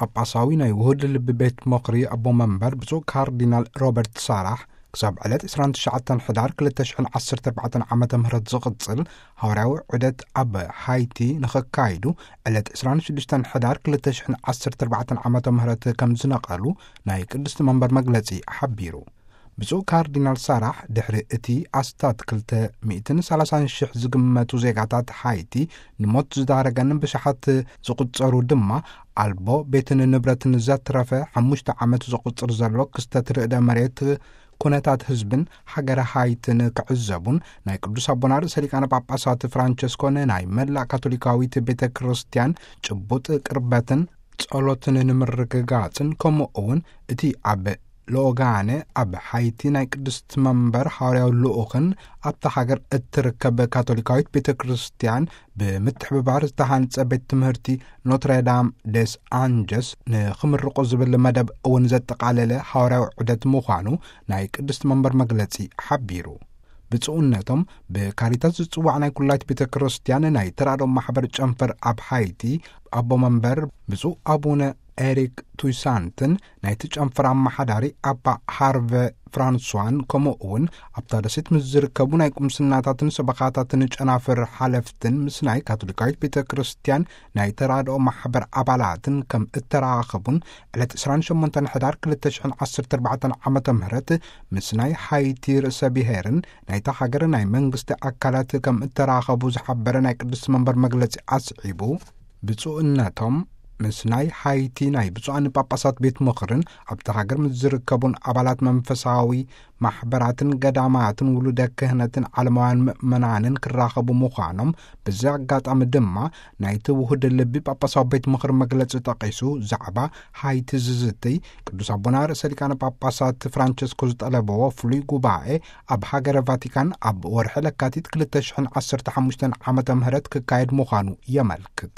ጳጳሳዊ ናይ ውሁድ ልቢ ቤት ምኽሪ ኣቦ መንበር ብፁዕ ካርዲናል ሮበርት ሳራሕ ክሳብ ዕለት ዕስራን ትሽዓተን ሕዳር ክልተ ሽሕን ዓሰርተ ኣርባዕተን ዓመተ ምህረት ዝቕጽል ሃዋርያዊ ዑደት ኣብ ሃይቲ ንኸካይዱ ዕለት ዕስራን ሽዱሽተን ሕዳር ክልተ ሽሕን ዓሰርተ ኣርባዕተን ዓመተ ምህረት ከም ዝነቐሉ ናይ ቅድስቲ መንበር መግለጺ ሓቢሩ። ብፁዕ ካርዲናል ሳራሕ ድሕሪ እቲ ኣስታት ክልተ ሚእትን ሰላሳን ሽሕ ዝግመቱ ዜጋታት ሃይቲ ንሞት ዝዳረገንን ብሽሓት ዝቑጸሩ ድማ ኣልቦ ቤትን ንብረትን ዘትረፈ ሓሙሽተ ዓመት ዘቑጽር ዘሎ ክስተት ርእደ መሬት ኩነታት ህዝብን ሃገረ ሃይትን ክዕዘቡን ናይ ቅዱስ ኣቦና ርእሰ ሊቃነ ጳጳሳት ፍራንቸስኮ ንናይ መላእ ካቶሊካዊት ቤተ ክርስቲያን ጭቡጥ ቅርበትን ጸሎትን ንምርግጋጽን ከምኡ እውን እቲ ኣብ ሎጋነ ኣብ ሓይቲ ናይ ቅድስት መንበር ሃዋርያዊ ልኡኽን ኣብታ ሃገር እትርከብ ካቶሊካዊት ቤተ ክርስቲያን ብምትሕብባር ዝተሃንጸ ቤት ትምህርቲ ኖትረዳም ደስ ኣንጀስ ንኽምርቑ ዝብል መደብ እውን ዘጠቓለለ ሃዋርያዊ ዑደት ምዃኑ ናይ ቅድስት መንበር መግለጺ ሓቢሩ። ብፁዕነቶም ብካሪታስ ዝጽዋዕ ናይ ኩላይት ቤተ ክርስቲያን ናይ ተራድኦ ማሕበር ጨንፈር ኣብ ሃይቲ ኣቦ መንበር ብፁዕ ኣቡነ ኤሪክ ቱይሳንትን ናይቲ ጨንፈር ኣመሓዳሪ ኣባ ሃርቨ ፍራንሷን ከምኡ እውን ኣብታ ደሴት ምስ ዝርከቡ ናይ ቁምስናታትን ሰበኻታትን ጨናፍር ሓለፍትን ምስ ናይ ካቶሊካዊት ቤተ ክርስቲያን ናይ ተራድኦ ማሕበር ኣባላትን ከም እተራኸቡን ዕለት ዕስራን ሸሞንተን ሕዳር ክልተ ሽሕን ዓሰርተ ኣርባዕተን ዓመተ ምህረት ምስ ናይ ሃይቲ ርእሰ ብሔርን ናይታ ሃገር ናይ መንግስቲ ኣካላት ከም እተራኸቡ ዝሓበረ ናይ ቅድስቲ መንበር መግለጺ ኣስዒቡ፣ ብፁዕነቶም ምስ ናይ ሃይቲ ናይ ብፁዓን ጳጳሳት ቤት ምኽርን ኣብቲ ሃገር ምስ ዝርከቡን ኣባላት መንፈሳዊ ማሕበራትን ገዳማትን ውሉደ ክህነትን ዓለማውያን ምእመናንን ክራኸቡ ምዃኖም፣ በዚ ኣጋጣሚ ድማ ናይቲ ውሁድ ልቢ ጳጳሳዊ ቤት ምኽሪ መግለጺ ጠቒሱ ዛዕባ ሃይቲ ዝዝትይ ቅዱስ ኣቦና ርእሰ ሊቃነ ጳጳሳት ፍራንቸስኮ ዝጠለበዎ ፍሉይ ጉባኤ ኣብ ሃገረ ቫቲካን ኣብ ወርሒ ለካቲት ክልተ ሽሕን ዓሰርተ ሓሙሽተን ዓመተ ምህረት ክካየድ ምዃኑ የመልክት።